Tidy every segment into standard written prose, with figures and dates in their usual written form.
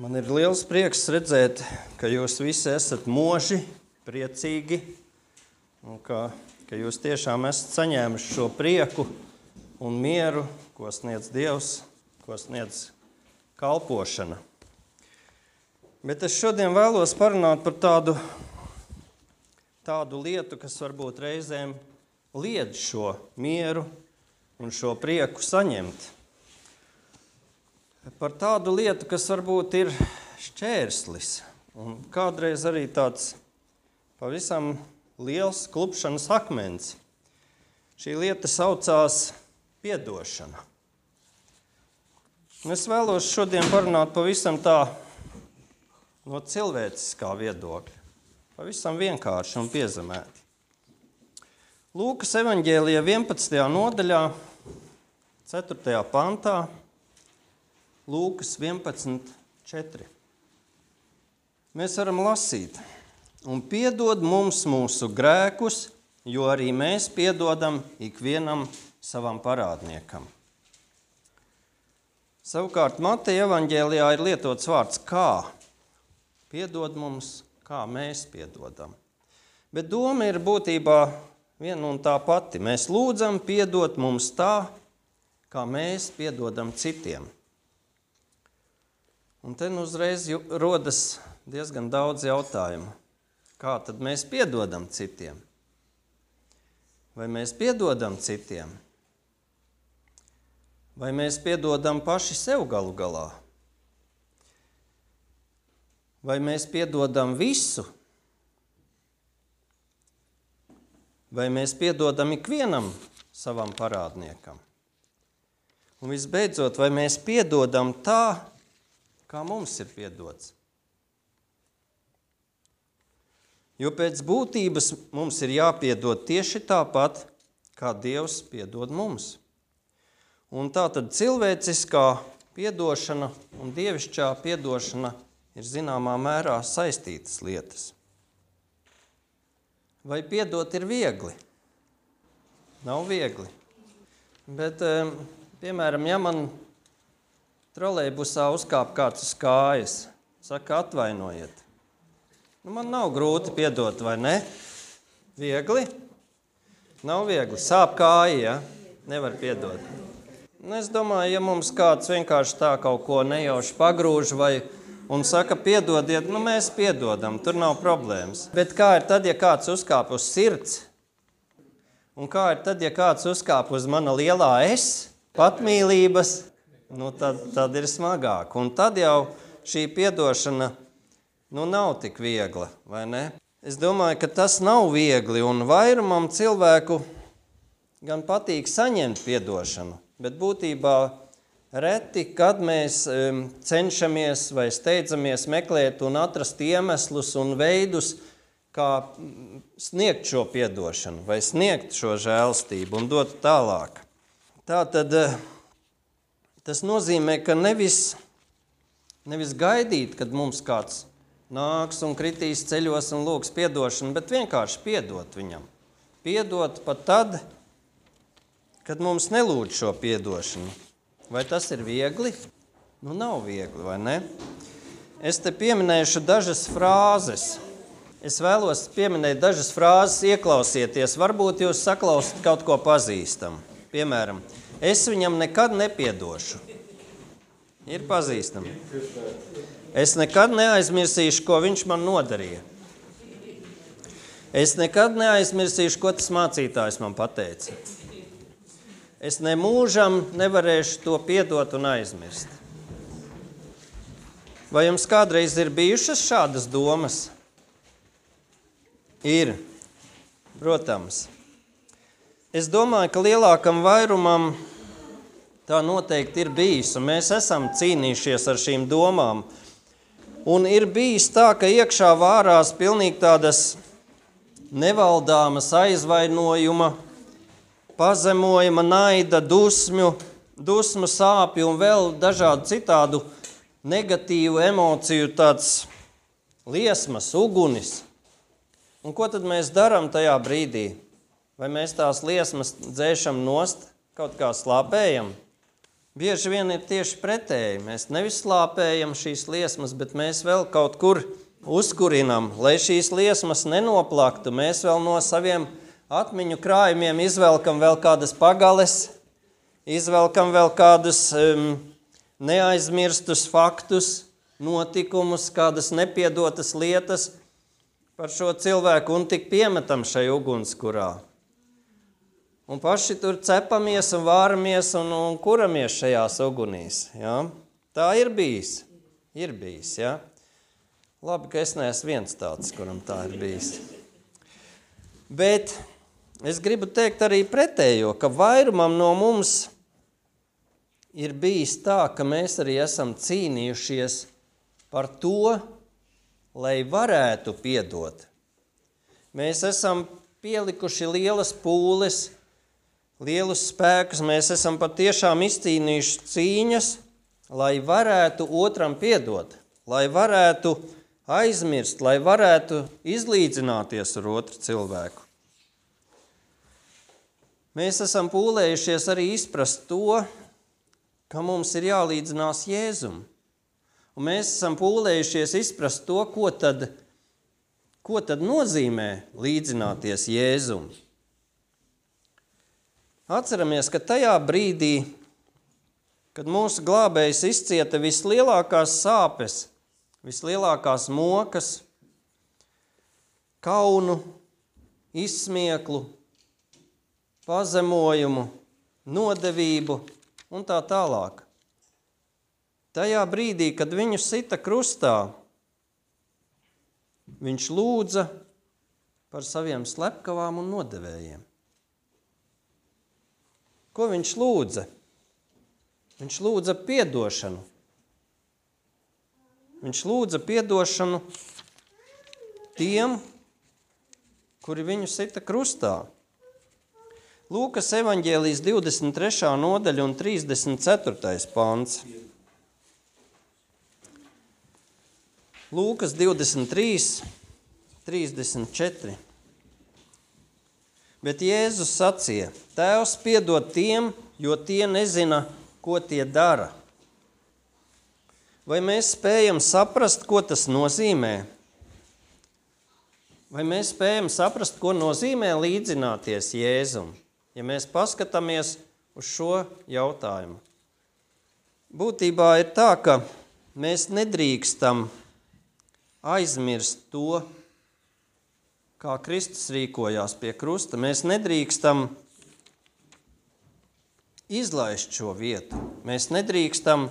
Man ir liels prieks redzēt, ka jūs visi esat moži, priecīgi un ka jūs tiešām esat saņēmuši šo prieku un mieru, ko sniedz Dievs, ko sniedz kalpošana. Bet es šodien vēlos parunāt par tādu lietu, kas varbūt reizēm liedz šo mieru un šo prieku saņemt. Par tādu lietu, kas varbūt ir šķērslis un kādreiz arī tāds pavisam liels klupšanas akmens. Šī lieta saucās piedošana. Es vēlos šodien parunāt pavisam tā no cilvēciskā viedokļa. Pavisam vienkārši un piezemēti. Lūkas evaņģēlija 11. nodaļā, 4. pantā, Lūkas 11.4. Mēs varam lasīt: un piedod mums mūsu grēkus, jo arī mēs piedodam ikvienam savam parādniekam. Savukārt Mateja evaņģēlijā ir lietots vārds kā. Piedod mums, kā mēs piedodam. Bet doma ir būtībā viena un tā pati. Mēs lūdzam piedot mums tā, kā mēs piedodam citiem. Un te uzreiz rodas diezgan daudz jautājumu. Kā tad mēs piedodam citiem? Vai mēs piedodam citiem? Vai mēs piedodam paši sev galu galā? Vai mēs piedodam visu? Vai mēs piedodam ikvienam savam parādniekam? Un visbeidzot, vai mēs piedodam tā, kā mums ir piedots? Jo pēc būtības mums ir jāpiedod tieši tāpat, kā Dievs piedod mums. Un tā tad cilvēciskā piedošana un dievišķā piedošana ir zināmā mērā saistītas lietas. Vai piedot ir viegli? Nav viegli. Bet, piemēram, ja man trolejbusā uzkāp kāds uz kājas, saka, atvainojiet. Man nav grūti piedot, vai ne? Viegli? Nav viegli. Sāp kāja, ja? Nevar piedot. Es domāju, ja mums kāds vienkārši tā kaut ko nejauši pagrūž un saka, piedodiet, mēs piedodam, tur nav problēmas. Bet kā ir tad, ja kāds uzkāp uz sirds? Un kā ir tad, ja kāds uzkāp uz mana lielā es, patmīlības? Tad ir smagāk. Un tad jau šī piedošana nav tik viegla, vai ne? Es domāju, ka tas nav viegli, un vairumam cilvēku gan patīk saņemt piedošanu, bet būtībā reti, kad mēs cenšamies vai steidzamies meklēt un atrast iemeslus un veidus, kā sniegt šo piedošanu, vai sniegt šo žēlstību un dot tālāk. Tātad tas nozīmē, ka nevis gaidīt, kad mums kāds nāks un kritīs ceļos un lūgs piedošanu, bet vienkārši piedot viņam. Piedot pat tad, kad mums nelūdz šo piedošanu. Vai tas ir viegli? Nav viegli, vai ne? Es te pieminēšu dažas frāzes. Es vēlos pieminēt dažas frāzes, ieklausieties. Varbūt jūs saklausat kaut ko pazīstam. Piemēram, es viņam nekad nepiedošu. Ir pazīstami. Es nekad neaizmirsīšu, ko viņš man nodarīja. Es nekad neaizmirsīšu, ko tas mācītājs man pateica. Es nemūžam nevarēšu to piedot un aizmirst. Vai jums kādreiz ir bijušas šādas domas? Ir, protams. Es domāju, ka lielākam vairumam tā noteikti ir bijis, un mēs esam cīnījušies ar šīm domām. Un ir bijis tā, ka iekšā vārās pilnīgi tādas nevaldāmas aizvainojuma, pazemojuma, naida, dusmu, sāpju un vēl dažādu citādu negatīvu emociju tāds liesmas, ugunis. Un ko tad mēs darām tajā brīdī? Vai mēs tās liesmas dzēšam nost, kaut kā slāpējam? Bieži vien ir tieši pretēji. Mēs nevis slāpējam šīs liesmas, bet mēs vēl kaut kur uzkurinam, lai šīs liesmas nenoplaktu. Mēs vēl no saviem atmiņu krājumiem izvelkam vēl kādas pagales, izvelkam vēl kādus neaizmirstus faktus, notikumus, kādas nepiedotas lietas par šo cilvēku un tik piemetam šai ugunskurā. Un paši tur cepamies un vāramies un kuramies šajās ugunīs. Ja? Tā ir bijis. Ja? Labi, ka es neesmu viens tāds, kuram tā ir bijis. Bet es gribu teikt arī pretējo, ka vairumam no mums ir bijis tā, ka mēs arī esam cīnījušies par to, lai varētu piedot. Mēs esam pielikuši lielas pūles, lielus spēkus, mēs esam patiešām izcīnījuši cīņas, lai varētu otram piedot, lai varētu aizmirst, lai varētu izlīdzināties ar otru cilvēku. Mēs esam pūlējušies arī izprast to, ka mums ir jālīdzinās Jēzum. Un mēs esam pūlējušies izprast to, ko tad nozīmē līdzināties Jēzum. Atceramies, ka tajā brīdī, kad mūsu glābējs izcieta vislielākās sāpes, vislielākās mokas, kaunu, izsmieklu, pazemojumu, nodevību un tā tālāk. Tajā brīdī, kad viņu sita krustā, viņš lūdza par saviem slepkavām un nodevējiem. Ko viņš lūdza? Viņš lūdza piedošanu. Viņš lūdza piedošanu tiem, kuri viņu sita krustā. Lūkas evaņģēlijas 23. nodaļa un 34. pants. Lūkas 23, 34. Bet Jēzus sacīja, Tēvs piedod tiem, jo tie nezina, ko tie dara. Vai mēs spējam saprast, ko tas nozīmē? Vai mēs spējam saprast, ko nozīmē līdzināties Jēzum, ja mēs paskatāmies uz šo jautājumu? Būtībā ir tā, ka mēs nedrīkstam aizmirst to, kā Kristus rīkojās pie krusta. Mēs nedrīkstam izlaist šo vietu. Mēs nedrīkstam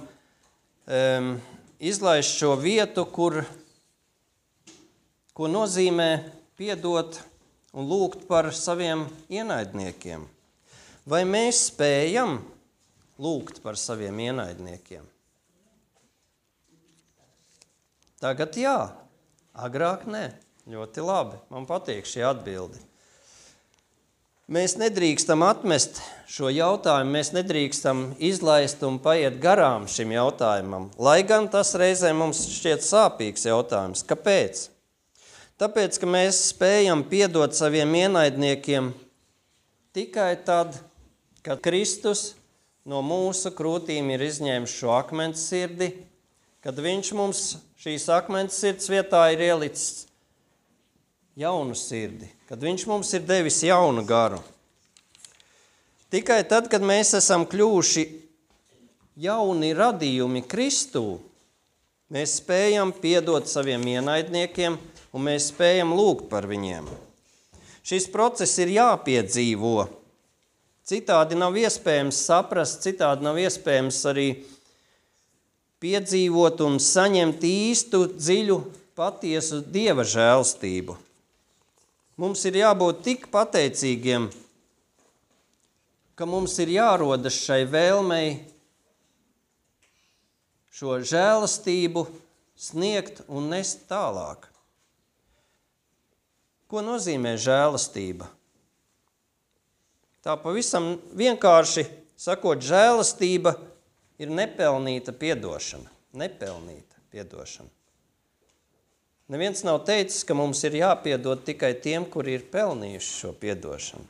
izlaist šo vietu, ko nozīmē piedot un lūgt par saviem ienaidniekiem. Vai mēs spējam lūgt par saviem ienaidniekiem? Tagad jā, agrāk nē. Ļoti labi, man patīk šī atbilde. Mēs nedrīkstam atmest šo jautājumu, mēs nedrīkstam izlaist un paiet garām šim jautājumam, lai gan tas reizē mums šķiet sāpīgs jautājums. Kāpēc? Tāpēc, ka mēs spējam piedot saviem ienaidniekiem tikai tad, kad Kristus no mūsu krūtīm ir izņēmis šo akmens sirdi, kad viņš mums šīs akmens sirds vietā ir ielicis jaunu sirdi, kad viņš mums ir devis jaunu garu. Tikai tad, kad mēs esam kļuvuši jauni radījumi Kristū, mēs spējam piedot saviem ienaidniekiem un mēs spējam lūgt par viņiem. Šis process ir jāpiedzīvo. Citādi nav iespējams saprast, citādi nav iespējams arī piedzīvot un saņemt īstu, dziļu, patiesu Dieva žēlstību. Mums ir jābūt tik pateicīgiem, ka mums ir jārodas šai vēlmei šo žēlastību sniegt un nest tālāk. Ko nozīmē žēlastība? Tā pavisam vienkārši sakot, žēlastība ir nepelnīta piedošana. Nepelnīta piedošana. Neviens nav teicis, ka mums ir jāpiedod tikai tiem, kuri ir pelnījuši šo piedošanu.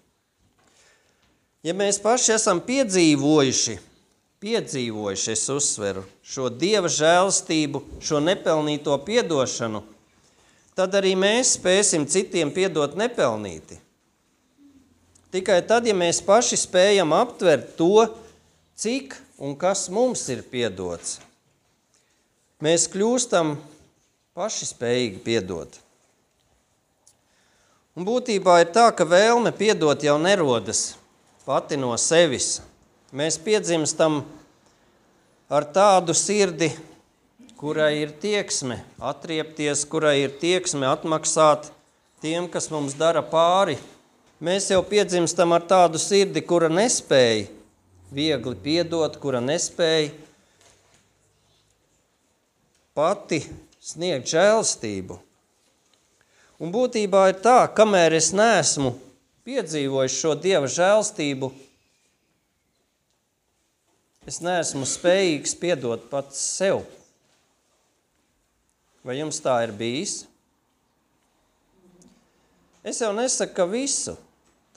Ja mēs paši esam piedzīvojuši piedzīvojuši, es uzsveru, šo Dieva žēlastību, šo nepelnīto piedošanu, tad arī mēs spēsim citiem piedot nepelnīti. Tikai tad, ja mēs paši spējam aptvert to, cik un kas mums ir piedots, mēs kļūstam paši spējīgi piedot. Un būtībā ir tā, ka vēlme piedot jau nerodas pati no sevis. Mēs piedzimstam ar tādu sirdi, kurai ir tieksme atriepties, kurai ir tieksme atmaksāt tiem, kas mums dara pāri. Mēs jau piedzimstam ar tādu sirdi, kura nespēja viegli piedot, kura nespēja pati sniegt žēlastību. Un būtībā ir tā, kamēr es neesmu piedzīvojis šo Dieva žēlastību, es neesmu spējīgs piedot pats sev. Vai jums tā ir bijis? Es jau nesaku, ka visu.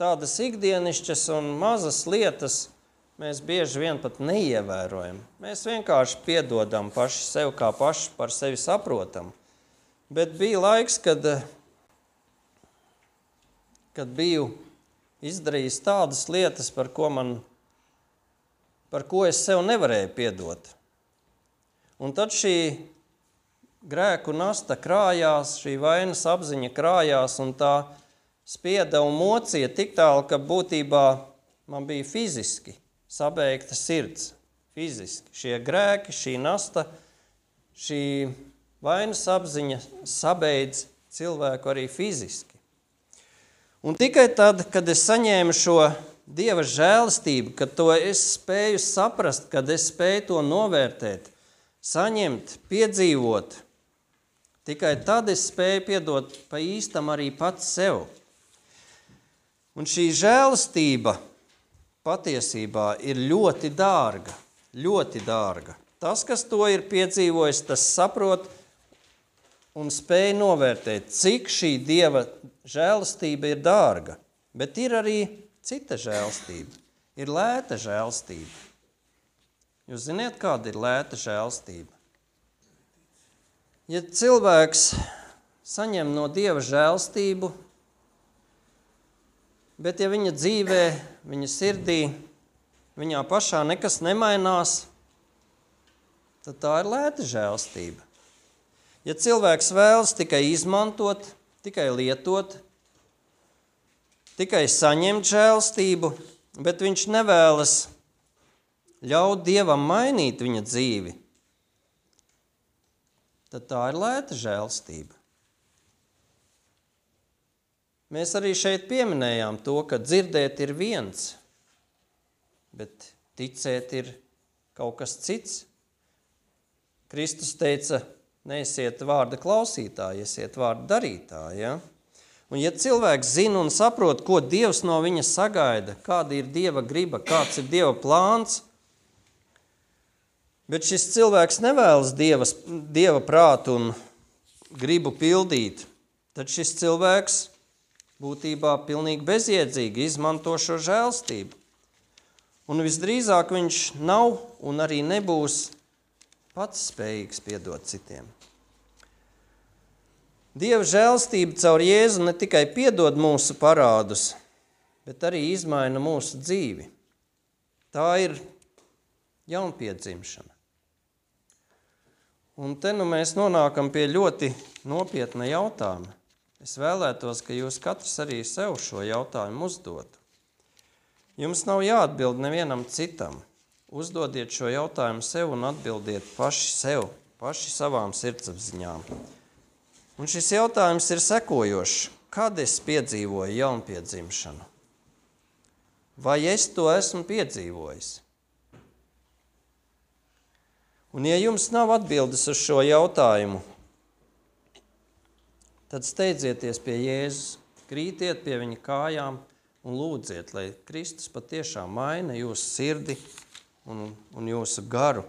Tādas ikdienišķas un mazas lietas mēs bieži vien pat neievērojam. Mēs vienkārši piedodam paši sev, kā paši par sevi saprotam. Bet bija laiks, kad biju izdarījis tādas lietas, par ko es sev nevarēju piedot. Un tad šī grēku nasta krājās, šī vainas apziņa krājās, un tā spieda un mocīja tik tālu, ka būtībā man bija fiziski sabeigta sirds. Fiziski. Šie grēki, šī nasta, šī vainas apziņa sabeidz cilvēku arī fiziski. Un tikai tad, kad es saņēmu šo Dieva žēlastību, kad to es spēju saprast, kad es spēju to novērtēt, saņemt, piedzīvot, tikai tad es spēju piedot pa īstam arī pats sev. Un šī žēlastība patiesībā ir ļoti dārga, ļoti dārga. Tas, kas to ir piedzīvojis, tas saprot un spēj novērtēt, cik šī Dieva žēlastība ir dārga. Bet ir arī cita žēlastība. Ir lēta žēlastība. Jūs ziniet, kāda ir lēta žēlastība? Ja cilvēks saņem no Dieva žēlastību, bet ja viņa dzīvē, viņa sirdī, viņā pašā nekas nemainās, tad tā ir lēta žēlastība. Ja cilvēks vēlas tikai izmantot, tikai lietot, tikai saņemt žēlastību, bet viņš nevēlas ļaut Dievam mainīt viņa dzīvi, tad tā ir lēta žēlastība. Mēs arī šeit pieminējām to, ka dzirdēt ir viens, bet ticēt ir kaut kas cits. Kristus teica, neesiet vārda klausītāji, esiet vārda darītāji. Ja? Un ja cilvēks zina un saprot, ko Dievs no viņa sagaida, kāda ir Dieva griba, kāds ir Dieva plāns, bet šis cilvēks nevēlas Dieva prātu un gribu pildīt, tad šis cilvēks būtībā pilnīgi bezjēdzīgi izmanto šo žēlastību. Un visdrīzāk viņš nav un arī nebūs pats spējīgs piedot citiem. Dieva žēlastība caur Jēzu ne tikai piedod mūsu parādus, bet arī izmaina mūsu dzīvi. Tā ir jaunpiedzimšana. Un te nu mēs nonākam pie ļoti nopietna jautājuma. Es vēlētos, ka jūs katrs arī sev šo jautājumu uzdotu. Jums nav jāatbild nevienam citam. Uzdodiet šo jautājumu sev un atbildiet paši sev, paši savām sirdsapziņām. Un šis jautājums ir sekojošs. Kad es piedzīvoju jaunpiedzimšanu? Vai es to esmu piedzīvojis? Un ja jums nav atbildes uz šo jautājumu, tad steidzieties pie Jēzus, krītiet pie viņa kājām un lūdziet, lai Kristus patiešām maina jūsu sirdi un jūsu garu.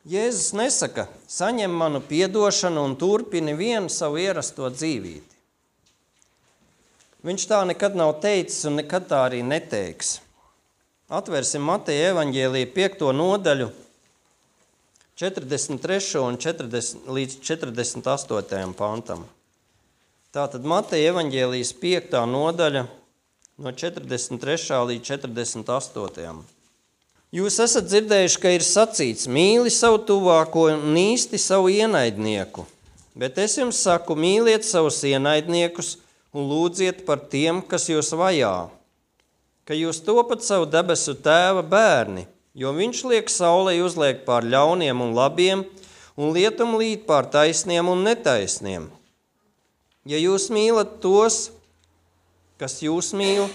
Jēzus nesaka, saņem manu piedošanu un turpini vienu savu ierasto dzīvīti. Viņš tā nekad nav teicis un nekad tā arī neteiks. Atvērsim Mateja evaņģēlija 5. nodaļu, 43. un 40, līdz 48. pantam. Tātad Mateja evaņģēlijas 5. nodaļa no 43. līdz 48. Jūs esat dzirdējuši, ka ir sacīts, mīli savu tuvāko un nīsti savu ienaidnieku, bet es jums saku, mīliet savus ienaidniekus un lūdziet par tiem, kas jūs vajā, ka jūs topat savu debesu tēva bērni, jo viņš liek saulei uzliek pār ļauniem un labiem un lietum līt pār taisniem un netaisniem. Ja jūs mīlat tos, kas jūs mīl,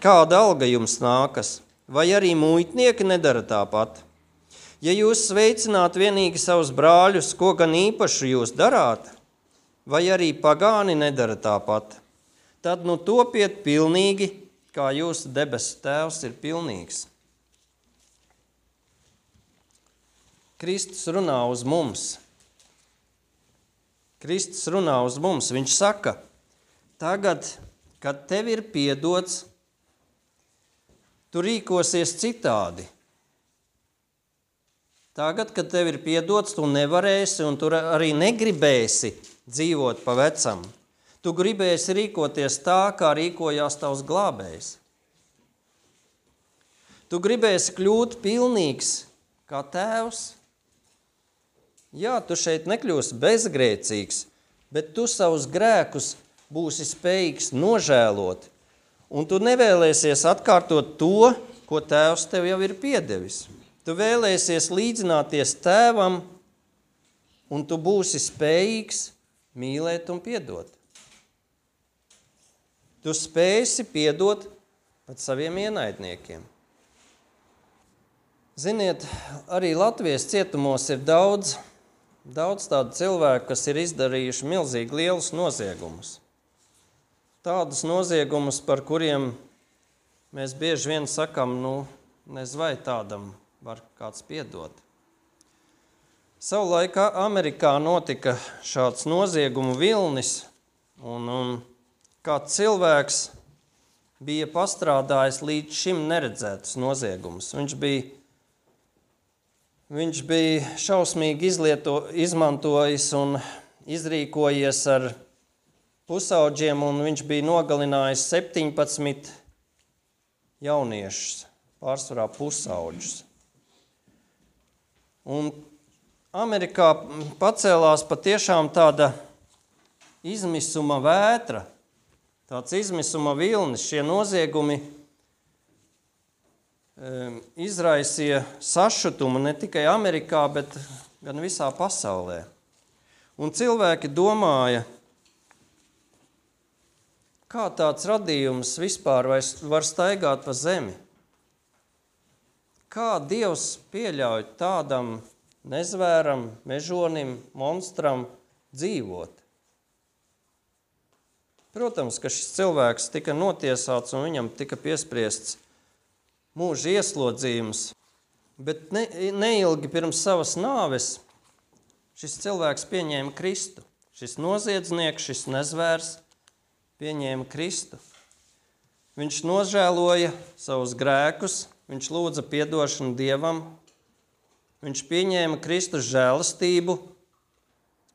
kāda alga jums nākas, vai arī muitnieki nedara tāpat? Ja jūs sveicināt vienīgi savus brāļus, ko gan īpašu jūs darāt, vai arī pagāni nedara tāpat, tad nu topiet pilnīgi, kā jūsu debesu tēvs ir pilnīgs. Kristus runā uz mums. Kristus runā uz mums. Viņš saka, tagad, kad tev ir piedots, tu rīkosies citādi. Tagad, kad tev ir piedots, tu nevarēsi un tu arī negribēsi dzīvot pa vecam. Tu gribēsi rīkoties tā, kā rīkojās tavs glābējs. Tu gribēsi kļūt pilnīgs kā tēvs. Jā, tu šeit nekļūsi bezgrēcīgs, bet tu savus grēkus būsi spējīgs nožēlot. Un tu nevēlēsies atkārtot to, ko tēvs tev jau ir piedevis. Tu vēlēsies līdzināties tēvam, un tu būsi spējīgs mīlēt un piedot. Tu spēsi piedot pat saviem ienaidniekiem. Ziniet, arī Latvijas cietumos ir daudz tādu cilvēku, kas ir izdarījuši milzīgi lielus noziegumus. Tādus noziegumus, par kuriem mēs bieži vien sakam, nezinu, vai tādam var kāds piedot. Savulaik Amerikā notika šāds noziegumu vilnis, un kāds cilvēks bija pastrādājis līdz šim neredzētus noziegumus. Viņš bija šausmīgi izmantojis un izrīkojies ar pusauģiem, un viņš bija nogalinājis 17 jauniešus, pārsvarā pusauģus. Un Amerikā pacēlās patiešām tāda izmisuma vētra, tāds izmisuma vilnis. Šie noziegumi izraisīja sašutumu ne tikai Amerikā, bet gan visā pasaulē. Un cilvēki domāja, kā tāds radījums vispār var staigāt pa zemi? Kā Dievs pieļauj tādam nezvēram, mežonim, monstram dzīvot? Protams, ka šis cilvēks tika notiesāts un viņam tika piespriests mūža ieslodzījums, bet neilgi pirms savas nāves šis cilvēks pieņēma Kristu. Šis noziedznieks, šis nezvērs pieņēma Kristu. Viņš nožēloja savus grēkus, viņš lūdza piedošanu Dievam, viņš pieņēma Kristus žēlastību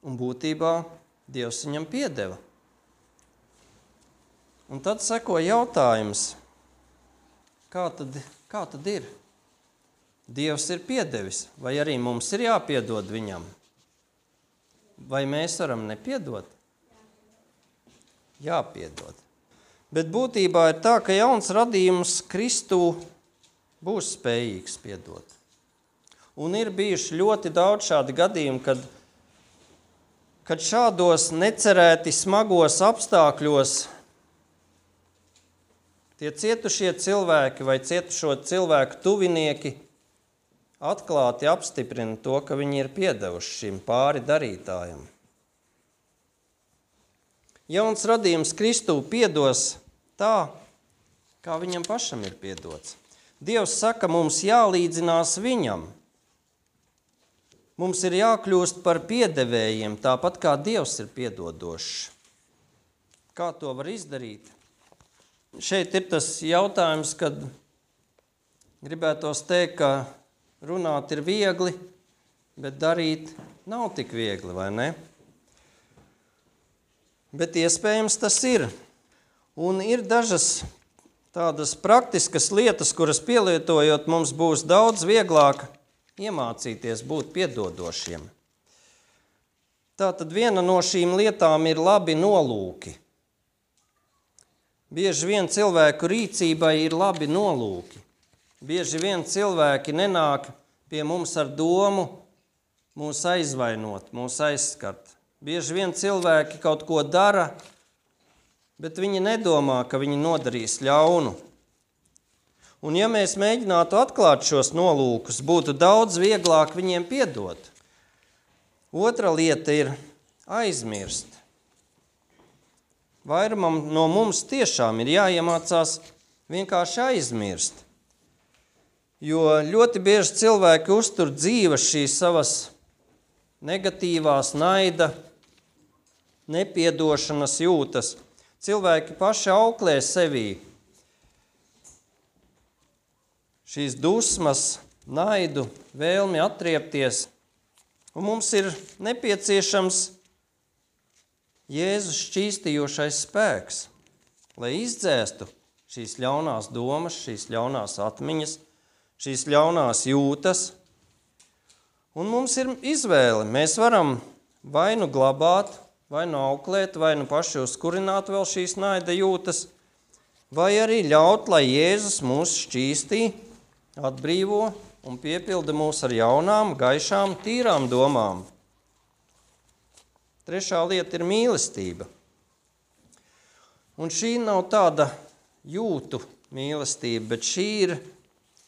un būtībā Dievs viņam piedeva. Un tad seko jautājums, kā tad ir? Dievs ir piedevis, vai arī mums ir jāpiedod viņam? Vai mēs varam nepiedot? Jāpiedod. Bet būtībā ir tā, ka jauns radījums Kristū būs spējīgs piedot. Un ir bijuši ļoti daudz šādi gadījumi, kad šādos necerēti smagos apstākļos tie cietušie cilvēki vai cietušo cilvēku tuvinieki atklāti apstiprina to, ka viņi ir piedevuši šim pāri darītājam. Jauns radījums Kristū piedos tā, kā viņam pašam ir piedots. Dievs saka, mums jālīdzinās viņam. Mums ir jākļūst par piedevējiem, tāpat kā Dievs ir piedodošs. Kā to var izdarīt? Šeit ir tas jautājums, kad gribētos teikt, ka runāt ir viegli, bet darīt nav tik viegli, vai ne? Bet iespējams tas ir. Un ir dažas tādas praktiskas lietas, kuras pielietojot mums būs daudz vieglāk iemācīties būt piedodošiem. Tātad viena no šīm lietām ir labi nolūki. Bieži vien cilvēku rīcībai ir labi nolūki. Bieži vien cilvēki nenāk pie mums ar domu mūs aizvainot, mūs aizskart. Bieži vien cilvēki kaut ko dara, bet viņi nedomā, ka viņi nodarīs ļaunu. Un ja mēs mēģinātu atklāt šos nolūkus, būtu daudz vieglāk viņiem piedot. Otra lieta ir aizmirst. Vairumam no mums tiešām ir jāiemācās vienkārši aizmirst. Jo ļoti bieži cilvēki uztur dzīves šīs savas negatīvās naida, nepiedošanas jūtas. Cilvēki paši auklē sevī šīs dusmas, naidu, vēlmi atriepties. Un mums ir nepieciešams Jēzus šķīstījošais spēks, lai izdzēstu šīs ļaunās domas, šīs ļaunās atmiņas, šīs ļaunās jūtas. Un mums ir izvēle. Mēs varam vai nu glabāt, vai nu auklēt, vai nu paši uzkurināt vēl šīs naida jūtas, vai arī ļaut, lai Jēzus mūs šķīstī, atbrīvo un piepilda mūs ar jaunām, gaišām, tīrām domām. Trešā lieta ir mīlestība. Un šī nav tāda jūtu mīlestība, bet šī ir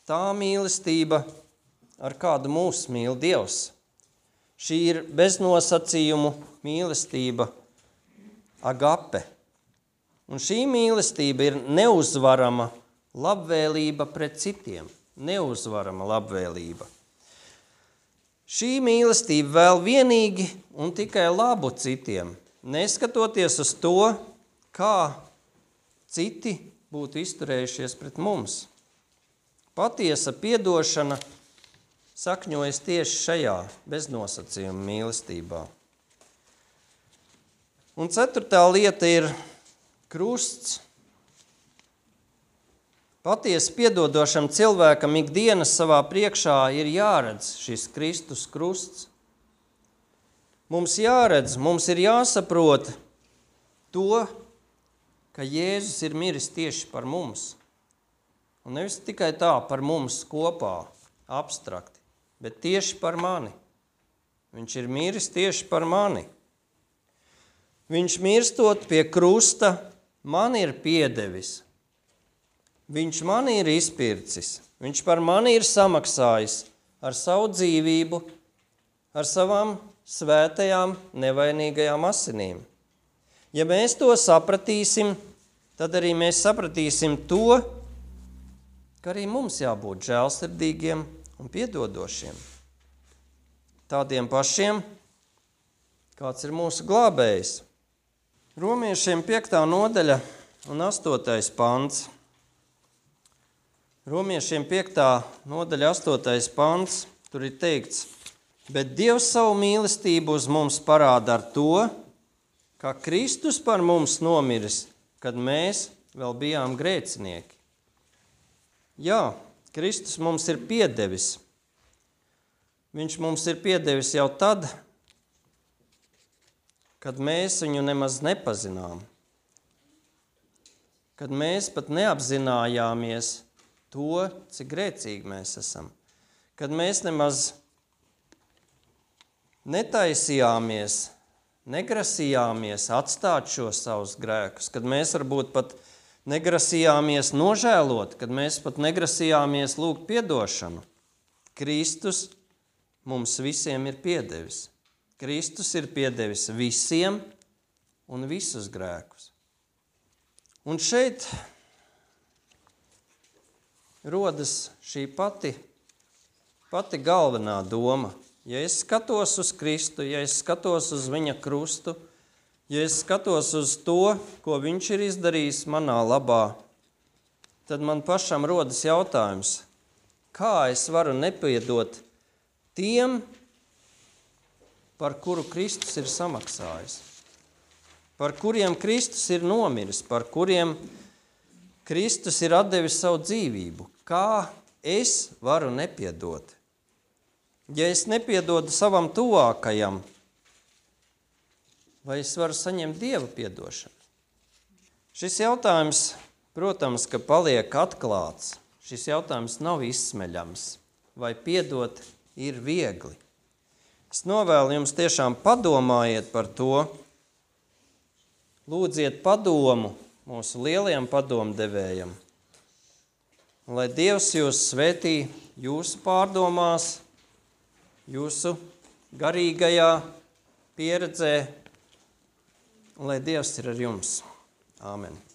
tā mīlestība, ar kādu mūs mīl Dievs. Šī ir beznosacījumu mīlestība, agape. Un šī mīlestība ir neuzvarama labvēlība pret citiem. Neuzvarama labvēlība. Šī mīlestība vēl vienīgi un tikai labu citiem, neskatoties uz to, kā citi būtu izturējušies pret mums. Patiesa piedošana sakņojas tieši šajā beznosacījuma mīlestībā. Un ceturtā lieta ir krusts. Patiesi piedodošam cilvēkam ikdienas savā priekšā ir jāredz šis Kristus krusts. Mums jāredz, mums ir jāsaprot to, ka Jēzus ir miris tieši par mums. Un nevis tikai tā par mums kopā, abstrakti, bet tieši par mani. Viņš ir miris tieši par mani. Viņš mirstot pie krusta man ir piedevis. Viņš mani ir izpircis, viņš par mani ir samaksājis ar savu dzīvību, ar savām svētajām, nevainīgajām asinīm. Ja mēs to sapratīsim, tad arī mēs sapratīsim to, ka arī mums jābūt žēlsirdīgiem un piedodošiem. Tādiem pašiem, kāds ir mūsu glābējs. Romiešiem 5. nodaļa un 8. pants. Romiešiem 5. nodaļa 8. pants, tur ir teikts, bet Dievs savu mīlestību uz mums parāda ar to, ka Kristus par mums nomiris, kad mēs vēl bijām grēcinieki. Jā, Kristus mums ir piedevis. Viņš mums ir piedevis jau tad, kad mēs viņu nemaz nepazinām. Kad mēs pat neapzinājāmies to, cik grēcīgi mēs esam. Kad mēs nemaz netaisījāmies, negrasījāmies atstāt šos savus grēkus, kad mēs varbūt pat negrasījāmies nožēlot, kad mēs pat negrasījāmies lūgt piedošanu. Kristus mums visiem ir piedevis. Kristus ir piedevis visiem un visus grēkus. Un šeit rodas šī pati galvenā doma. Ja es skatos uz Kristu, ja es skatos uz viņa krustu, ja es skatos uz to, ko viņš ir izdarījis manā labā, tad man pašam rodas jautājums, Kā es varu nepiedot tiem, par kuru Kristus ir samaksājis, par kuriem Kristus ir nomiris, par kuriem Kristus ir atdevis savu dzīvību? Kā es varu nepiedot? Ja es nepiedodu savam tuvākajam, vai es varu saņemt Dieva piedošanu? Šis jautājums, protams, ka paliek atklāts. Šis jautājums nav izsmeļams. Vai piedot ir viegli? Es novēlu jums tiešām padomājiet par to. Lūdziet padomu mūsu lielajam padomdevējam. Lai Dievs jūs svētī jūsu pārdomās, jūsu garīgajā pieredzē, un lai Dievs ir ar jums. Āmen.